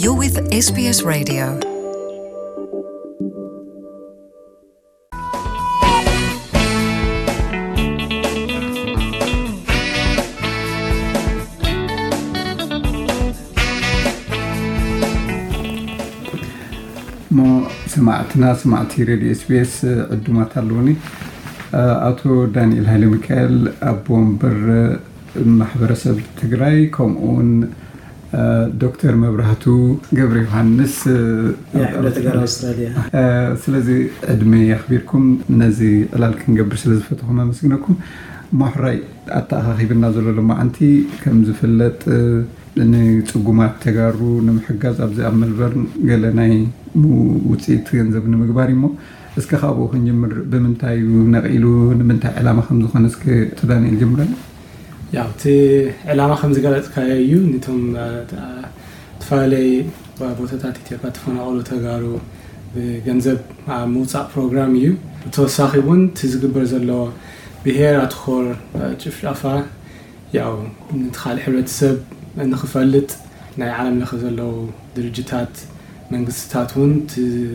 You're with S B S Radio. እሞ ሰማዕትና፣ ሰማዕቲ ሬድዮ ኤስቢኤስ ዕዱማት ኣለውኒ። ኣቶ ዳንኤል ሃይለ ሚካኤል፣ ኣቦ ወንበር ማሕበረሰብ ትግራይ፣ ከምኡ እውን ዶክተር መብራህቱ ገብረ ዮሃንስ፣ የሕብረት ጋር ኣውስትራልያ። ስለዚ ዕድመ የኽቢርኩም ነዚ ዕላል ክንገብር ስለ ዝፈተኹም ኣመስግነኩም። ሞሕራይ ኣተኣኻኺብና ዘሎ ሎማዓንቲ ከም ዝፍለጥ ንፅጉማት ተጋሩ ንምሕጋዝ ኣብዚ ኣብ መልበርን ገለ ናይ ሙ- ውፅኢት ገንዘብ ንምግባር እሞ፣ እስከ ካብኡ ክንጅምር። ብምንታይ እዩ ነቒሉ፣ ንምንታይ ዕላማ ከም ዝኾነ እስከ ኣቶ ዳንኤል ጀምረና። ያው እቲ ዕላማ ከም ዝገለፅካዮ እዩ። ንቶም ዝተፈላለዩ ቦታታት ኢትዮጵያ ተፈናቐሉ ተጋሩ ብገንዘብ ኣብ ምውፃእ ፕሮግራም እዩ። ብተወሳኺ እውን እቲ ዝግበር ዘሎ ብሄር ኣትኾር ጭፍጨፋ ያው ነቲ ካልእ ሕብረተሰብ ንኽፈልጥ፣ ናይ ዓለም ለኸ ዘለዉ ድርጅታት መንግስትታት እውን እቲ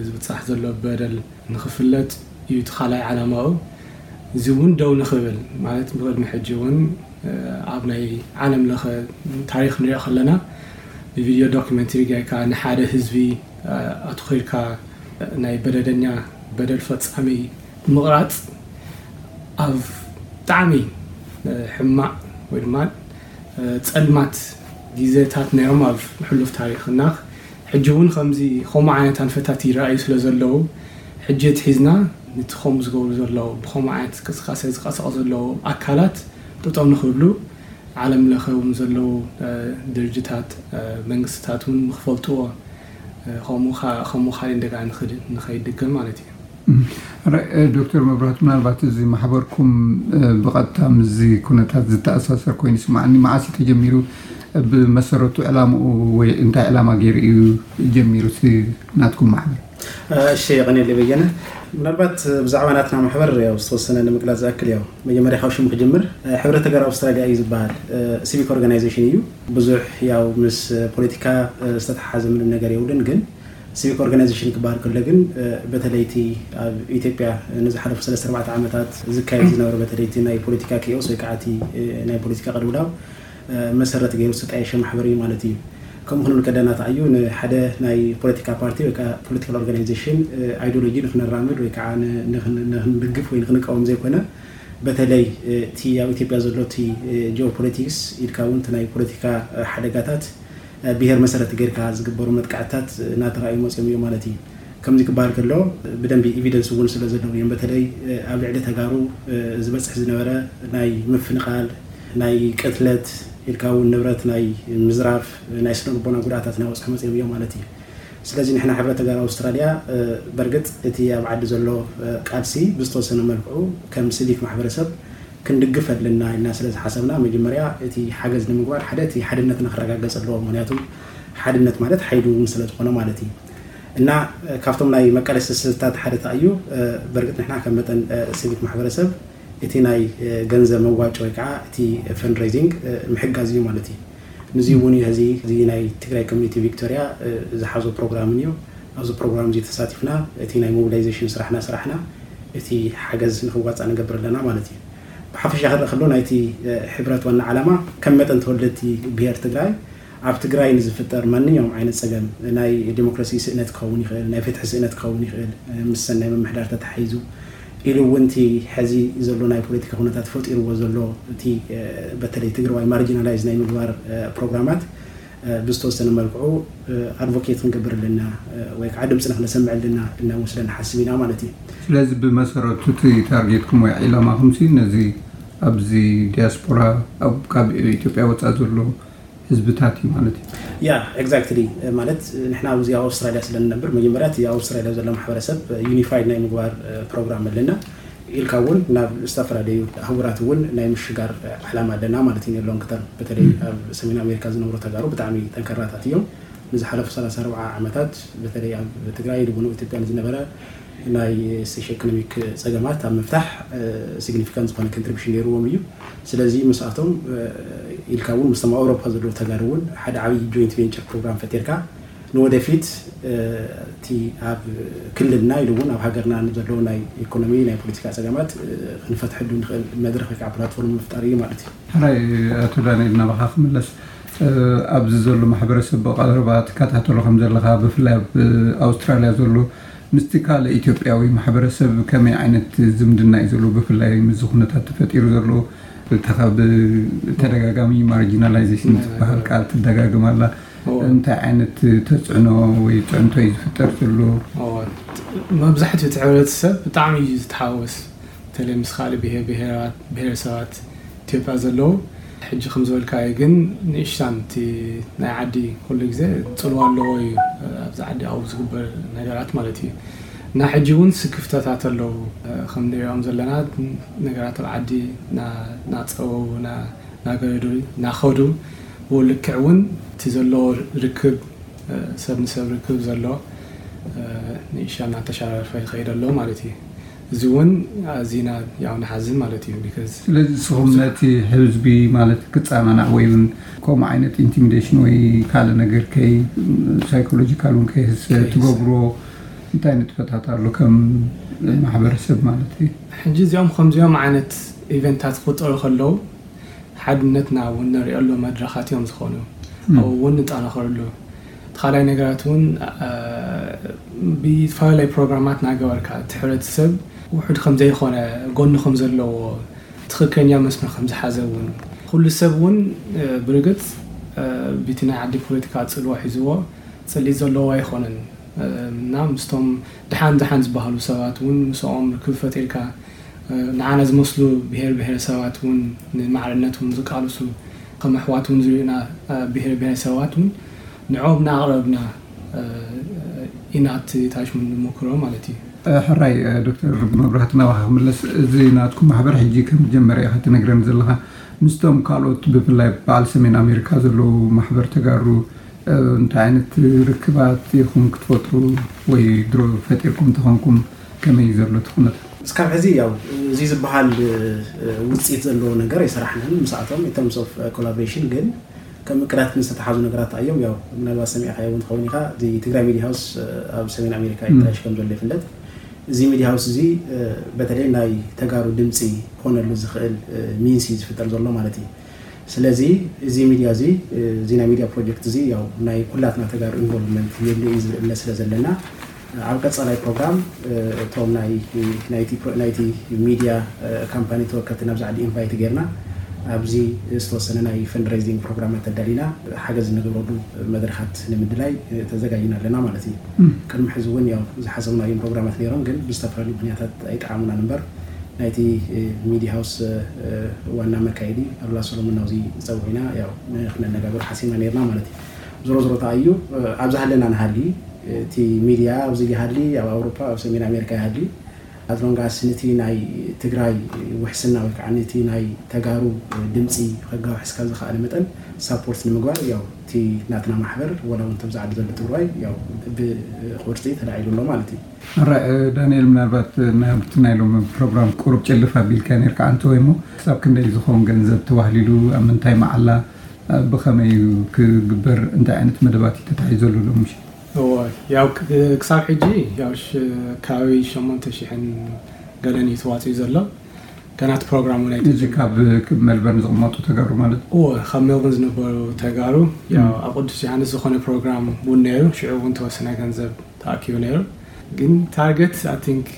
ዝብፃሕ ዘሎ በደል ንኽፍለጥ እዩ እቲ ካልኣይ ዓላማኡ። እዚ እውን ደው ንኽብል ማለት ብቅድሚ ሕጂ እውን ኣብ ናይ ዓለም ለኸ ታሪኽ ንሪኦ ከለና ብቪድዮ ዶክመንተሪ ጌርካ ንሓደ ህዝቢ ኣትኺርካ ናይ በደለኛ በደል ፈፃሚ ምቕራፅ ኣብ ብጣዕሚ ሕማቕ ወይ ድማ ፀልማት ግዜታት ነይሮም ኣብ ሕሉፍ ታሪኽና። ሕጂ እውን ከምዚ ከምኡ ዓይነት ኣንፈታት ይረኣዩ ስለ ዘለዉ ሕጂ ኣትሒዝና ነቲ ከምኡ ዝገብሩ ዘለዉ ብከምኡ ዓይነት ቅስቃሴ ዝቀሳቐሱ ዘለዉ ኣካላት ጠጠው ንክብሉ ዓለም ለኸ እውን ዘለዉ ድርጅታት መንግስትታት እውን ንክፈልጥዎ ከምኡ ካልእ እንደገና ንኸይድገም ማለት እዩ። ዶክተር መብራህቱ፣ ምናልባት እዚ ማሕበርኩም ብቐጥታ ምስዚ ኩነታት ዝተኣሳሰር ኮይኑ ይስማዓኒ። መዓስ እዩ ተጀሚሩ? ብመሰረቱ ዕላምኡ ወይ እንታይ ዕላማ ገይሩ እዩ ጀሚሩ እቲ ናትኩም ማሕበር? እሺ፣ የቐኔለይ በየነ። ምናልባት ብዛዕባ ናትና ማሕበር ያው ዝተወሰነ ንምግላፅ ዝኣክል ያው መጀመርያ ካብ ሽሙ ክጅምር ሕብረት ተጋሩ ኣውስትራልያ እዩ ዝበሃል። ሲቪክ ኦርጋናይዜሽን እዩ። ብዙሕ ያው ምስ ፖለቲካ ዝተተሓሓዘ ምንም ነገር የብሉን፣ ግን ሲቪክ ኦርጋናይዜሽን ክበሃል ከሎ ግን በተለይቲ ኣብ ኢትዮጵያ ንዝሓለፉ ሰለስተ ኣርባዕተ ዓመታት ዝካየድ ዝነበረ በተለይቲ ናይ ፖለቲካ ኪኦስ ወይ ከዓ እቲ ናይ ፖለቲካ ቅልውላው መሰረት ገይሩ ዝተጣየሸ ማሕበር እዩ ማለት እዩ። ከምኡ ክንብል ከለና ተኣዩ ንሓደ ናይ ፖለቲካ ፓርቲ ወይ ከዓ ፖለቲካል ኦርጋናይዜሽን ኣይዲዮሎጂ ንክነራምድ ወይ ከዓ ንክንድግፍ ወይ ንክንቃወም ዘይኮነ፣ በተለይ እቲ ኣብ ኢትዮጵያ ዘሎ እቲ ጂኦፖለቲክስ ኢልካ እውን እቲ ናይ ፖለቲካ ሓደጋታት ብሄር መሰረት ጌርካ ዝግበሩ መጥቃዕትታት እናተራእዩ መፅዮም እዮም ማለት እዩ። ከምዚ ክበሃል ከሎ ብደንቢ ኤቪደንስ እውን ስለ ዘለዉ እዮም። በተለይ ኣብ ልዕሊ ተጋሩ ዝበፅሕ ዝነበረ ናይ ምፍንቓል፣ ናይ ቅትለት ኢልካ እውን ንብረት ናይ ምዝራፍ፣ ናይ ስነ ልቦና ጉድኣታት እናበፅሑ መፅዮም እዮም ማለት እዩ። ስለዚ ንሕና ሕብረት ተጋሩ ኣውስትራልያ በርግጥ እቲ ኣብ ዓዲ ዘሎ ቃልሲ ብዝተወሰነ መልክዑ ከም ሲቪክ ማሕበረሰብ ክንድግፍ ኣለና ኢልና ስለ ዝሓሰብና መጀመርያ እቲ ሓገዝ ንምግባር ሓደ እቲ ሓድነትና ክረጋገፅ ኣለዎ። ምክንያቱ ሓድነት ማለት ሓይሊ እውን ስለ ዝኾነ ማለት እዩ። እና ካብቶም ናይ መቃለሲ ስልታት ሓደ ተኣዩ በርግጥ ንሕና ከም መጠን ሲቪክ ማሕበረሰብ እቲ ናይ ገንዘብ መዋጮ ወይ ከዓ እቲ ፈንድሬዚንግ ምሕጋዝ እዩ ማለት እዩ። ንዚ እውን እዩ ሕዚ እዚ ናይ ትግራይ ኮሚኒቲ ቪክቶሪያ ዝሓዞ ፕሮግራም እዩ። ኣብዚ ፕሮግራም እዚ ተሳቲፍና እቲ ናይ ሞቢላይዜሽን ስራሕና ስራሕና እቲ ሓገዝ ንክዋፃእ ንገብር ኣለና ማለት እዩ። ብሓፈሻ ክረእ ከሎ ናይቲ ሕብረት ዋና ዓላማ ከም መጠን ተወለድቲ ብሄር ትግራይ ኣብ ትግራይ ንዝፍጠር ማንኛውም ዓይነት ፀገም ናይ ዲሞክራሲ ስእነት ክኸውን ይኽእል፣ ናይ ፍትሒ ስእነት ክኸውን ይኽእል፣ ምስ ሰናይ ምምሕዳር ተተሓሒዙ ኢሉ እውን እቲ ሕዚ ዘሎ ናይ ፖለቲካ ኩነታት ፈጢርዎ ዘሎ እቲ በተለይ ትግራዋይ ማርጂናላይዝ ናይ ምግባር ፕሮግራማት ብዝተወሰነ መልክዑ ኣድቮኬት ክንገብር ኣለና ወይ ከዓ ድምፅና ክነሰምዕ ኣለና እናወስደ ንሓስብ ኢና ማለት እዩ። ስለዚ ብመሰረቱ እቲ ታርጌትኩም ወይ ዒላማኹም ሲ ነዚ ኣብዚ ዲያስፖራ ካብ ኢትዮጵያ ወፃእ ዘሎ ህዝብታት እዩ ማለት እዩ። ያ ኤግዛክትሊ። ማለት ንሕና ኣብዚ ኣብ ኣውስትራልያ ስለ ንነብር መጀመርያ እቲ ኣብ ኣውስትራልያ ዘሎ ማሕበረሰብ ዩኒፋይድ ናይ ምግባር ፕሮግራም ኣለና። ኢልካ እውን ናብ ዝተፈላለዩ ኣህጉራት እውን ናይ ምሽጋር ዕላማ ኣለና ማለት እዩ። ሎንግ ተርም በተለይ ኣብ ሰሜን ኣሜሪካ ዝነብሩ ተጋሩ ብጣዕሚ ጠንከራታት እዮም። ንዝሓለፉ ሰላሳ ኣርባዓ ዓመታት በተለይ ኣብ ትግራይ ልቡኑ ኢትዮጵያ ንዝነበረ ናይ ሶሽዮ ኢኮኖሚክ ፀገማት ኣብ ምፍታሕ ሲግኒፊካንት ዝኾነ ኮንትሪቢሽን ነይርዎም እዩ። ስለዚ ምስኣቶም ኢልካ እውን ምስቶም ኣውሮፓ ዘለዉ ተጋሩ እውን ሓደ ዓብዪ ጆይንት ቬንቸር ፕሮግራም ፈጢርካ ንወደፊት እቲ ኣብ ክልልና ኢሉ እውን ኣብ ሃገርና ንዘለዉ ናይ ኢኮኖሚ ናይ ፖለቲካ ፀገማት ክንፈትሐሉ ንኽእል መድረኽ ወይ ከዓ ፕላትፎርም ምፍጣር እዩ ማለት እዩ። ሕራይ። ኣቶ ዳንኤል ናባኻ ክምለስ፣ ኣብዚ ዘሎ ማሕበረሰብ ብቐረባ ትከታተሎ ከም ዘለኻ ብፍላይ ኣብ ኣውስትራልያ ዘሎ ምስቲ ካልእ ኢትዮጵያዊ ማሕበረሰብ ከመይ ዓይነት ዝምድና እዩ ዘሎ? ብፍላይ ምስዚ ኩነታት ተፈጢሩ ዘሎ ተኻብ ተደጋጋሚ ማርጂናላይዜሽን ዝበሃል ቃል ትደጋግም ኣላ። እንታይ ዓይነት ተፅዕኖ ወይ ፅዕንቶ እዩ ዝፍጠር ዘሎ? መብዛሕትኡ እቲ ሕብረተሰብ ብጣዕሚ እዩ ዝተሓወስ። በተለይ ምስ ካልእ ብሄር ብሄራት ብሄረሰባት ኢትዮጵያ ዘለዉ ሕጂ ከም ዝበልካዮ ግን ንእሽታን እቲ ናይ ዓዲ ኩሉ ግዜ ፅልዋ ኣለዎ እዩ ኣብዚ ዓዲ ኣብኡ ዝግበር ነገራት ማለት እዩ። እና ሕጂ እውን ስክፍተታት ኣለዉ ከም ንሪኦም ዘለና ነገራት ኣብ ዓዲ ናፀበቡ ናገረዱ ናኸዱ ብኡ ልክዕ እውን እቲ ዘለዎ ርክብ ሰብ ንሰብ ርክብ ዘሎ ንእሻ እናተሻራረፈ ይኸይድ ኣሎ ማለት እዩ። እዚ እውን ኣዚና ያው ንሓዝን ማለት እዩ። ስለዚ ንስኹም ነቲ ህዝቢ ማለት ክፀናናዕ ወይ እውን ከምኡ ዓይነት ኢንቲሚዴሽን ወይ ካልእ ነገር ከይ ሳይኮሎጂካል እውን ከይህሰ ትገብርዎ እንታይ ንጥፈታት ኣሎ ከም ማሕበረሰብ ማለት እዩ? ሕጂ እዚኦም ከምዚኦም ዓይነት ኢቨንታት ክቁጠሩ ከለዉ ሓድነትና እውን ነርእየሉ መድረኻት እዮም ዝኾኑ። ኣብኡ እውን ንጠናኸረሉ። እቲ ካልኣይ ነገራት እውን ብዝተፈላለዩ ፕሮግራማት እናገበርካ እቲ ሕብረተሰብ ውሑድ ከምዘይኾነ ጎኑ ከምዘለዎ ትኽክለኛ መስመር ከምዝሓዘ እውን ኩሉ ሰብ እውን ብርግፅ ቢቲ ናይ ዓዲ ፖለቲካ ፅልዋ ሒዝዎ ፅሊት ዘለዎ ኣይኾነን እና ምስቶም ድሓን ድሓን ዝበሃሉ ሰባት እውን ምስኦም ርክብ ፈጢርካ ንዓና ዝመስሉ ብሄር ብሄረሰባት እውን ንማዕርነት እውን ዝቃልሱ ከም ኣሕዋት እውን ዝርእዩና ብሄር ብሄረሰባት እውን ንዕኦም እናኣቕረብና ኢና እቲ ታሽሙ ንሞክሮ ማለት እዩ። ሕራይ ዶክተር መብራህቲ ናባኻ ክምለስ፣ እዚ ናትኩም ማሕበር ሕጂ ከም ዝጀመረ ኢኻ ትነግረኒ ዘለኻ። ምስቶም ካልኦት ብፍላይ በዓል ሰሜን ኣሜሪካ ዘለዉ ማሕበር ተጋሩ እንታይ ዓይነት ርክባት ኢኹም ክትፈጥሩ ወይ ድሮ ፈጢርኩም እንተኾንኩም ከመይ እዩ ዘሎ እቲ ኩነታት? እስካብ ሕዚ ያው እዚ ዝበሃል ውፅኢት ዘለዎ ነገር ኣይሰራሕናን ምስኣቶም in terms of collaboration ግን ከም እቅዳት ዝተተሓዙ ነገራት እዮም። ያው ምናልባት ሰሚዕካዮ እውን ትኸውን ኢኻ፣ እዚ ትግራይ ሚድያ ሃውስ ኣብ ሰሜን ኣሜሪካ ይጣየሽ ከም ዘሎ ይፍለጥ። እዚ ሚድያ ሃውስ እዚ በተለይ ናይ ተጋሩ ድምፂ ክኾነሉ ዝኽእል ሚንስ እዩ ዝፍጠር ዘሎ ማለት እዩ። ስለዚ እዚ ሚድያ እዚ እዚ ናይ ሚድያ ፕሮጀክት እዚ ያው ናይ ኩላትና ተጋሩ ኢንቮልቭመንት የድሊ እዩ ዝብል እምነት ስለ ዘለና ኣብ ቀፃላይ ፕሮግራም እቶም ናይ ናይቲ ሚድያ ካምፓኒ ተወከልቲ ናብዚ ዓዲ ኢንቫይት ጌርና ኣብዚ ዝተወሰነ ናይ ፈንድሬዚንግ ፕሮግራማት ኣዳሊና ሓገዝ ንገብረሉ መድረኻት ንምድላይ ተዘጋጅና ኣለና ማለት እዩ። ቅድሚ ሕዚ እውን ያው ዝሓሰብናዮም ፕሮግራማት ነይሮም ግን ብዝተፈላለዩ ምክንያታት ኣይጠዓሙናን እምበር ናይቲ ሚድያ ሃውስ ዋና መካየዲ ኣሉላ ሰሎሞን ናብዚ ፀውዒና ያው ንክነነጋገር ሓሲብና ነይርና ማለት እዩ። ዞሮ ዞሮ ተኣዩ ኣብ ዝሃለና ንሃሊ እቲ ሚድያ ኣብዚ ይሃሊ ኣብ ኣውሮፓ ኣብ ሰሜን ኣሜሪካ ይሃሊ ኣዝሎንጋስ ንቲ ናይ ትግራይ ውሕስና ወይ ከዓ ንቲ ናይ ተጋሩ ድምፂ ከጋውሕስ ካብ ዝኸኣለ መጠን ሳፖርት ንምግባር ያው እቲ ናትና ማሕበር ወላ እውን ተብዛዕዲ ዘሎ ትግራይ ያው ብቁርፂ ተላዒሉ ኣሎ ማለት እዩ። ኣራይ ዳንኤል ምናልባት ናብቲ ናይ ሎም ፕሮግራም ቁሩብ ጭልፍ ኣቢልካ ነርካ ኣንተ ወይ ሞ ክሳብ ክንደይ ዝኸውን ገንዘብ ተባህሊሉ ኣብ ምንታይ መዓላ ብኸመይ ክግበር እንታይ ዓይነት መደባት እዩ ተታሒዘሉ ሎም ምሽ እወ ያው ክሳብ ሕጂ ያው ከባቢ ሸሞንተ ሽሕን ገለን እዩ ተዋፂኡ ዘሎ ገና እቲ ፕሮግራም እውን እዚ ካብ መልበርን ዝቕመጡ ተጋሩ ማለት እወ ካብ ሜልበርን ዝነበሩ ተጋሩ ያው ኣብ ቅዱስ ዮሃንስ ዝኾነ ፕሮግራም እውን ነይሩ ሽዑ እውን ተወሰነ ገንዘብ ተኣኪቡ ነይሩ ግን ታርገት ኣይ ቲንክ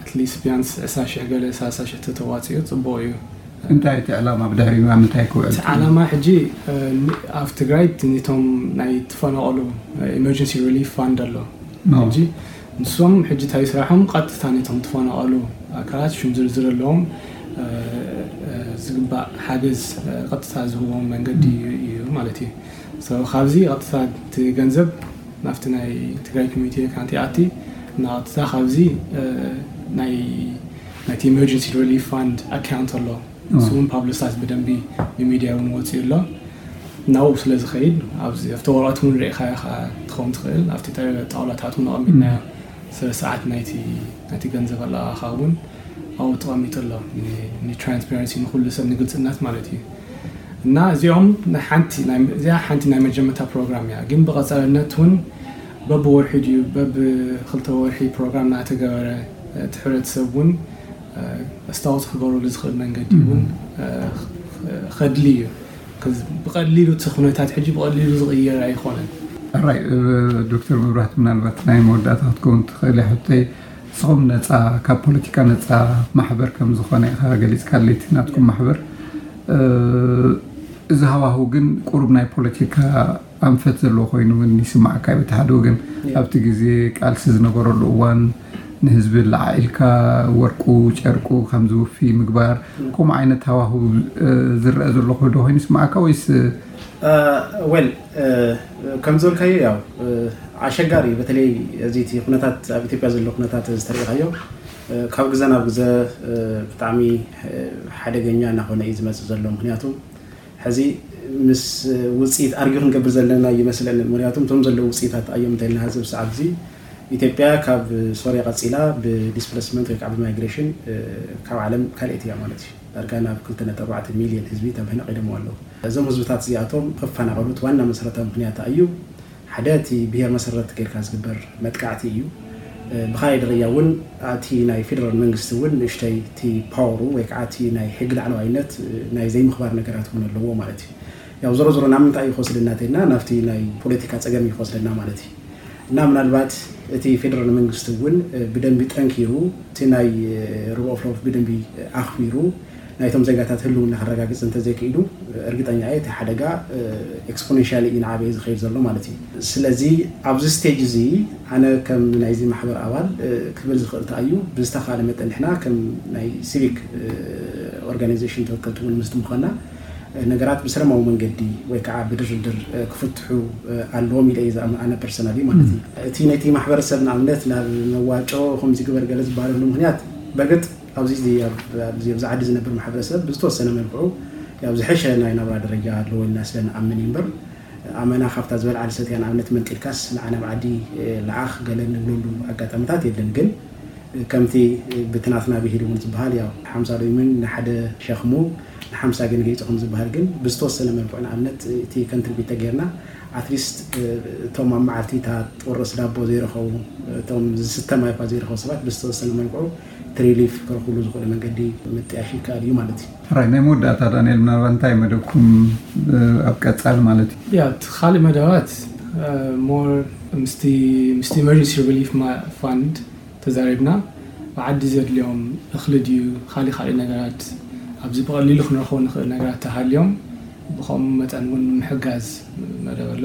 ኣትሊስት ቢያንስ ዕስራ ሽሕ ገለ ሰላሳ ሽሕ ተተዋፂኡ ፅቡቅ እዩ እንታይ እቲ ዕላማ ብድሕሪኡ ኣብ ምንታይ ክውዕል እቲ ዓላማ ሕጂ ኣብ ትግራይ ነቶም ናይ ተፈናቀሉ ኢመርጀንሲ ሪሊፍ ፋንድ ኣሎ ሕጂ ንሶም ሕጂ እንታይ ስራሖም ቀጥታ ነቶም ተፈናቀሉ ኣካላት ሽም ዝርዝር ኣለዎም ዝግባእ ሓገዝ ቀጥታ ዝህዎም መንገዲ እዩ ማለት እዩ ካብዚ ቀጥታ እቲ ገንዘብ ናብቲ ናይ ትግራይ ኮሚኒቲ ኣካውንት ይኣቲ እና ቀጥታ ካብዚ ናይ ናይቲ ኢመርጀንሲ ሪሊፍ ፋንድ ኣካውንት ኣሎ እሱ እውን ፓብሊሳይዝ ብደንቢ ብሚድያ እውን ወፂኡ ኣሎ ናብኡ ስለ ዝኸይድ ኣብዚ ኣብቲ ወረቐት እውን ርኢኻዮ ከዓ ትኸውን ትኽእል ኣብቲ ጣውላታት እውን ኣቐሚጥናዮ ስለ ሰዓት ናይቲ ናይቲ ገንዘብ ኣለኣኻ እውን ኣብኡ ተቐሚጡ ኣሎ ንትራንስፓረንሲ ንኩሉ ሰብ ንግልፅነት ማለት እዩ እና እዚኦም ሓንቲ እዚኣ ሓንቲ ናይ መጀመርታ ፕሮግራም እያ። ግን ብቐፃልነት እውን በብወርሒ ድዩ በብክልተ ወርሒ ፕሮግራም እናተገበረ እቲ ሕብረተሰብ እውን ኣስታወስ ክገብረሉ ዝኽእል መንገዲ እውን ከድሊ እዩ። ብቐሊሉ እቲ ኩነታት ሕጂ ብቐሊሉ ዝቕየር ኣይኮነን። ራይ ዶክተር መብራህቲ፣ ምናልባት ናይ መወዳእታ ክትከውን ትኽእል ሕቶይ፣ ንስኹም ነፃ፣ ካብ ፖለቲካ ነፃ ማሕበር ከም ዝኾነ ኢኻ ገሊፅካለይ። እቲ ናትኩም ማሕበር እዚ ሃዋሁ ግን ቁሩብ ናይ ፖለቲካ ኣንፈት ዘለዎ ኮይኑ እውን ይስማዓካ እዩ። በቲ ሓደ ወገን ኣብቲ ግዜ ቃልሲ ዝነበረሉ እዋን ንህዝቢ ለዓዒልካ ወርቁ ጨርቁ ከም ዝውፊ ምግባር፣ ከምኡ ዓይነት ሃዋሁ ዝረአ ዘሎ ዶ ኮይኑ ይስማዓካ ወይስ? ወል ከም ዝበልካዮ ያው ኣሸጋሪ እዩ። በተለይ እዚ እቲ ኩነታት ኣብ ኢትዮጵያ ዘሎ ኩነታት ዝተሪኢኻዮ ካብ ግዘ ናብ ግዘ ብጣዕሚ ሓደገኛ እናኾነ እዩ ዝመፅእ ዘሎ። ምክንያቱ ሕዚ ምስ ውፅኢት ኣርጊ ክንገብር ዘለና ይመስለኒ። ምክንያቱ እቶም ዘለዉ ውፅኢታት ኣዮም እንተልና ሕዚ ብሰዓት እዚ ኢትዮጵያ ካብ ሶርያ ቀፂላ ብዲስፕለስመንት ወይ ከዓ ብማይግሬሽን ካብ ዓለም ካልኤት እያ ማለት እዩ። ዳርጋ ናብ ክልተ ነጥቢ ኣርባዕተ ሚልዮን ህዝቢ ተምህነቂሎም ኣለዉ። እዞም ህዝብታት እዚኣቶም ክፈናቐሉት ዋና መሰረታዊ ምክንያት እዩ ሓደ እቲ ብሄር መሰረት ጌርካ ዝግበር መጥቃዕቲ እዩ። ብካልኣይ ደረጃ እውን እቲ ናይ ፌደራል መንግስቲ እውን ንእሽተይ እቲ ፓወሩ ወይ ከዓ እቲ ናይ ሕጊ ላዕለዋይነት ናይ ዘይምኽባር ነገራት እውን ኣለዎ ማለት እዩ። ያው ዞሮ ዞሮ ናብ ምንታይ እዩ ክወስደና ተይልና ናብቲ ናይ ፖለቲካ ፀገም እዩ ክወስደና ማለት እዩ። እና ምናልባት እቲ ፌደራል መንግስቲ እውን ብደንቢ ጠንኪሩ እቲ ናይ ሩል ኦፍ ሎው ብደንቢ ኣኽቢሩ ናይቶም ዜጋታት ህልውና ከረጋግፅ እንተዘይክኢሉ እርግጠኛ እየ እቲ ሓደጋ ኤክስፖኔንሻሊ እዩ ንዓበየ ዝኸይድ ዘሎ ማለት እዩ። ስለዚ ኣብዚ ስቴጅ እዚ ኣነ ከም ናይዚ ማሕበር ኣባል ክብል ዝኽእል እንታይ እዩ ብዝተኻለ መጠን ንሕና ከም ናይ ሲቪክ ኦርጋናይዜሽን ተወከልቲ እውን ምስቲ ምዃንና ነገራት ብሰላማዊ መንገዲ ወይ ከዓ ብድርድር ክፍትሑ ኣለዎም ኢለ እየ ዝኣምን ኣነ ፐርሰናሊ ማለት እዩ። እቲ ነቲ ማሕበረሰብ ንኣብነት ናብ መዋጮ ከምዚ ግበር ገለ ዝበሃለሉ ምክንያት በርግጥ ኣብዚ ኣብዚ ኣብዚ ዓዲ ዝነብር ማሕበረሰብ ብዝተወሰነ መልክዑ ያው ዝሐሸ ናይ ናብራ ደረጃ ኣለዎ ኢልና ስለ ንኣምን እዩ እምበር ኣመና ካብታ ዝበልዓ ዝሰትያ ንኣብነት መንጢልካስ ንዓ ናብ ዓዲ ለኣኽ ገለ ንብለሉ ኣጋጣሚታት የለን። ግን ከምቲ ብትናትና ብሂል እውን ዝበሃል ያው ሓምሳ ሎሚን ንሓደ ሸኽሙ ንሓምሳ ግን ገይፁ ከም ዝበሃል ግን ብዝተወሰነ መልክዑ ንኣብነት እቲ ከንትሪቢት ተገይርና ኣትሊስት እቶም ኣብ መዓልቲ እታ ጥርስ ዳቦ ዘይረኸቡ እቶም ዝስተ ማይ እኳ ዘይረኸቡ ሰባት ብዝተወሰነ መልክዑ እቲ ሪሊፍ ክረኽብሉ ዝኽእሉ መንገዲ ምጥያሽ ይከኣል እዩ ማለት እዩ። ሕራይ ናይ መወዳእታ ዳንኤል ምናልባት እንታይ መደብኩም ኣብ ቀፃሊ ማለት እዩ? ያ እቲ ካልእ መደባት ሞር ምስቲ ምስቲ ኢመርጀንሲ ሪሊፍ ፋንድ ተዛሪብና ብዓዲ ዘድልዮም እኽሊ ድዩ ካልእ ካልእ ነገራት ኣብዚ ብቐሊሉ ክንረኽቦ ንኽእል ነገራት ተሃልዮም ብኸምኡ መጠን እውን ምሕጋዝ መደብ ኣሎ።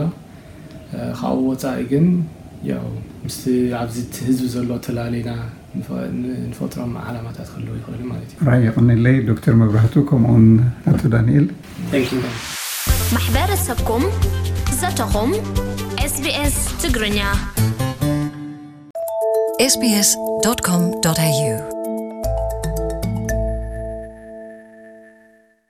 ካብኡ ወፃኢ ግን ያው ምስቲ ኣብዚ እቲ ህዝቢ ዘሎ ተላሊና ንፈጥሮም ዓላማታት ክህልው ይኽእሉ ማለት እዩ። ራይ የቐንለይ ዶክተር መብራህቱ ከምኡውን ኣቶ ዳንኤል። ማሕበረሰብኩም ዘተኹም ኤስቢኤስ ትግርኛ sbs.com.au